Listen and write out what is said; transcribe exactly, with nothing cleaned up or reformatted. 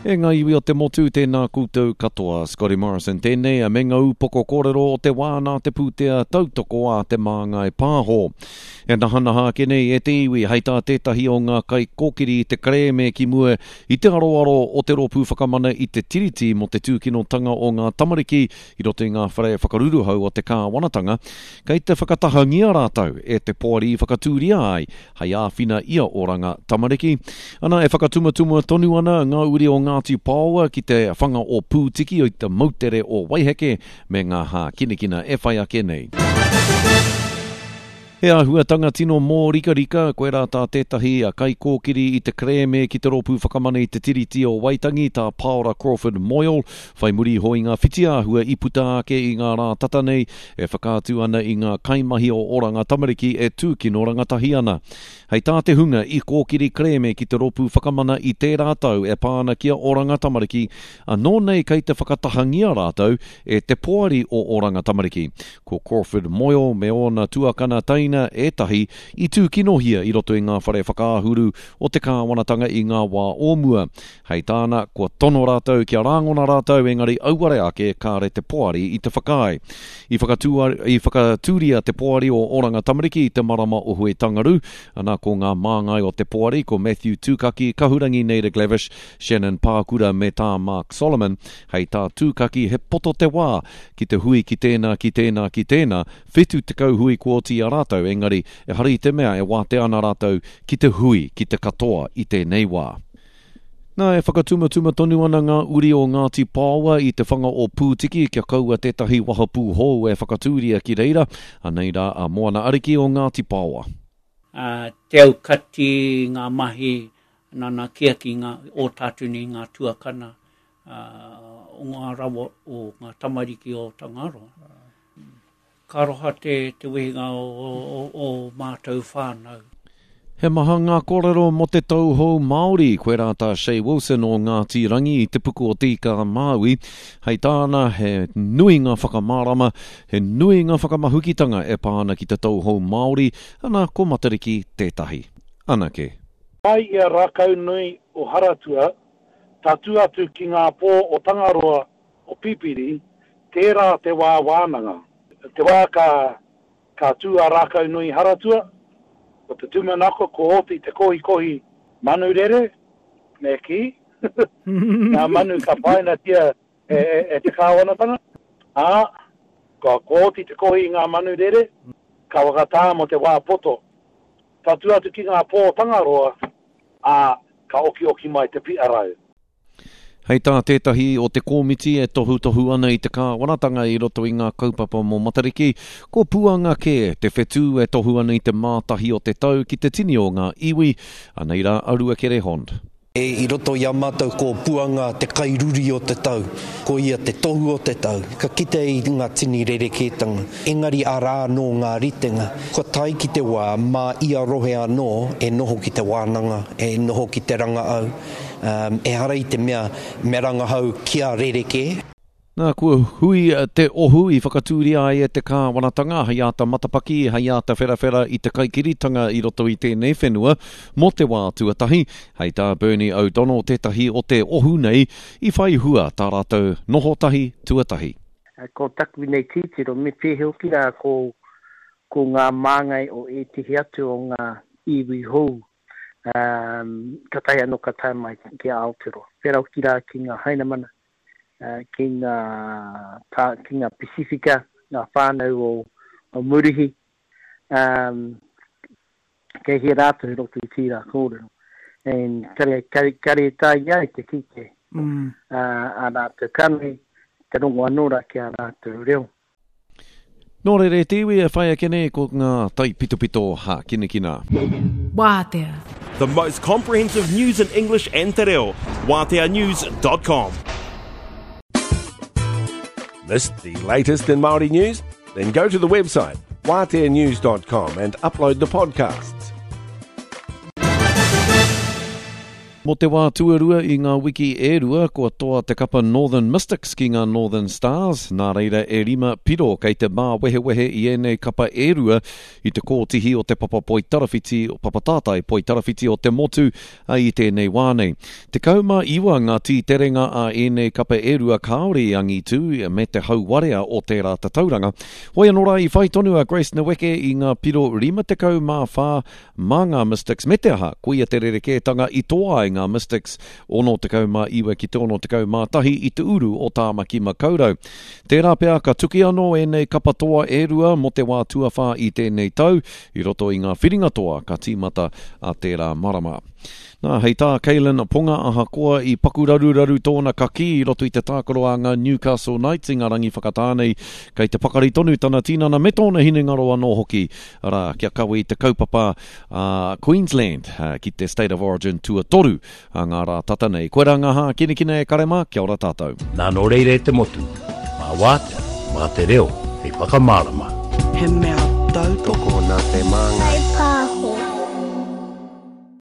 E ngā iwi o te motu, tēnā koutou katoa. Scotty Morrison tēnei, me ngā upoko kōrero o te wā nā te pūtea tautoko a Te Māngai Pāho. E nahanaha ake nei e te iwi, hei tā tētahi o ngā kaikōkiri i te kerēme ki mua i te aroaro o te Rōpū Whakamana i te Tiriti mō te tūkinotanga o ngā tamariki i roto i ngā whare whakaruruhau o te kāwanatanga, kei te whakatahangia rātou e te poari i whakatūria ai hei āwhina i a Oranga Tamariki. Ana, e whakatumatuma tonu ana ngā uri o Ngāti Paoa ki te whanga o Pūtiki i te moutere o Waiheke me ngā hākinakina e whai ake nei. He āhuatanga tino mōrikarika, koirā tā tētahi kaikōkiri i te kerēme ki te Rōpū Whakamana i te Tiriti o Waitangi, tā Paora Crawford Moyle, whai muri iho i ngā whitiāhua i puta ake i ngā rā tata nei e whakaatu ana i ngā kaimahi o Oranga Tamariki e tūkino rangatahi ana. Hei tā te hunga i kōkiri kerēme ki te Rōpū Whakamana i tērā tau e pā ana ki a Oranga Tamariki, anō nei kei te whakatahangia rātou e te poari o Oranga Tamariki. Ko Crawford Moyle me ōna tuakana teina ētahi i tūkinohia i roto i ngā whare whakaahuru o te kāwanatanga i ngā wā o mua. Hei tāna, kua tono rātou kia rāngona rātou, engari auare ake kāre te poari i te whakaae. I whakatū, i whakatūria te poari o Oranga Tamariki i te marama o Huitangaru, ana ko ngā māngai o te poari ko Matthew Tūkaki, Kahurangi Naida Glavish, Shannon Pākura me tā Mark Solomon. Hei tā Tūkaki, he poto te wā ki te hui ki tēnā, ki tēnā, ki tēnā, whitu tekau hui kua oti i a rātou, engari ehara i te mea e wātea ana rātou ki te hui ki te katoa i tēnei wā. Nā, e whakatumatuma tonu ana ngā uri o Ngāti Paoa i te whanga o Pūtiki kia kaua tētahi wahapū hou e whakatūria ki reira. Anei rā a Moana Ariki o Ngāti Paoa. Te aukati ngā mahi nanakia ki ngā o tātou nei ngā tuakana o ngā rawa o ngā tamariki o Tangaroa. Ka aroha te, te wehinga o, o, o mātou whānau. He maha ngā kōrero mō te tau hou Māori, koirā tā Shay Wilson o Ngāti Rangi i te puku o Te Ika a Māui. Hei tāna, he nui ngā whakamārama, he nui ngā whakamahukitanga e pā ana ki te tau hou Māori, ana ko Matariki tētahi. Anake. Mai i a Rākaunui o Haratua, tatū atu ki ngā pō o Tangaroa o Pipiri, tērā te wā wānanga. Te wā ka, ka tū a Rākaunui Haratua, ko te tūmanako ko oti te kohikohi manu rere, me kī, ngā manu ka painatia e, e, e te kāwanatanga, ā, ka ko oti te kohi i ngā manu rere, ka whakatā mō te wā poto. Tatū atu ki ngā pō Tangaroa, ā, ka okioki mai te piarau. Hei tā tētahi o te kōmiti e tohutohu ana i te kāwanatanga i roto i ngā kaupapa mō Matariki, ko Puanga kē te whetū e tohu ana i te mātahi o te tau ki te tini o ngā iwi, anei rā a Ruakere Hond. E, i roto i a mātou ko Puanga te kairuri o te tau, ko ia te tohu o te tau. Ka kite i ngā tini rerekētanga, engari arā anō ngā ritenga. Kua tae ki te wā, mā ia rohe anō e noho ki te wānanga, e noho ki te rangaau. Um, ehara i te mea me rangahau kia rerekē. Nā, kua hui te ohu i whakatūria ai e te kāwanatanga hei āta matapaki, hei āta wherawhera i te kaikiritanga i roto i tēnei whenua mō te wā tuatahi. Hei tā Bernie O'Donnell tētahi o te ohu nei i whai hua tā rātou noho tahi tuatahi. Ko taku nei titiro, me pēhea hoki rā ko, ko ngā māngai o ētehi atu o ngā iwi hou. Um, ka tae anō ka tae mai ki Aotearoa. Pērā hoki rā ki ngā Hainamana, uh, ki ngā, tā, ki ngā Pasifika, ngā whānau o, o Murihi, um, kei hea rātou i roto i tīrā kōrero. And kare, kare, kare tae ai te kite mm. uh, a rātou kanohi, te rongo anō rā ki a rātou reo. Nō reira e te iwi e whai ake nei ko ngā taipitopito hākinakina. Wātea. The most comprehensive news in English and te reo. Wātea news dot com. Missed the latest in Māori news? Then go to the website wātea news dot com and upload the podcasts. Mō te wā tuarua i ngā wiki e rua, kua toa te kapa Northern Mystics ki ngā Northern Stars, nā reira e rima piro kei te māwehewehe i ēnei kapa e rua i te kōtihi o te papa poitarawhiti, papa tātai poitarawhiti o te motu i tēnei wā nei. Tekau mā iwa ngā tīterenga a ēnei kapa e rua kāore i angitu me te hauwarea o tērā tatauranga. Hoi anō rā i whai tonu a Grace Nweke i ngā piro rima tekau mā whā mā ngā Mystics me te aha, koia te rerekētanga i toa ai ngā Mystics ono tekau mā iwa ki te ono tekau mā tahi i te uru o Tāmaki Makaurau. Tērā pea ka tuki anō ēnei kapa toa e rua mō te wā tuawhā i tēnei tau, i roto i ngā whiringa toa ka tīmata a tērā marama. Nā, hei tā Kaylin Ponga ahakoa i paku raruraru tōna kaki i roto i te tākaro a ngā Newcastle Knights i ngā rangi whakatānei, kei te pakari tonu tana tinana me tōna hinengaro anō hoki, arā, kia kawe i te kaupapa a Queensland ki te State of Origin tuatoru a ngā rā tata nei. Koe rā ngā hākinakina e kare mā, kia ora tātou. Nā nō reira e te motu, mā wātea, mā te reo, hei whakamārama. He mea tautoko nā te māngai.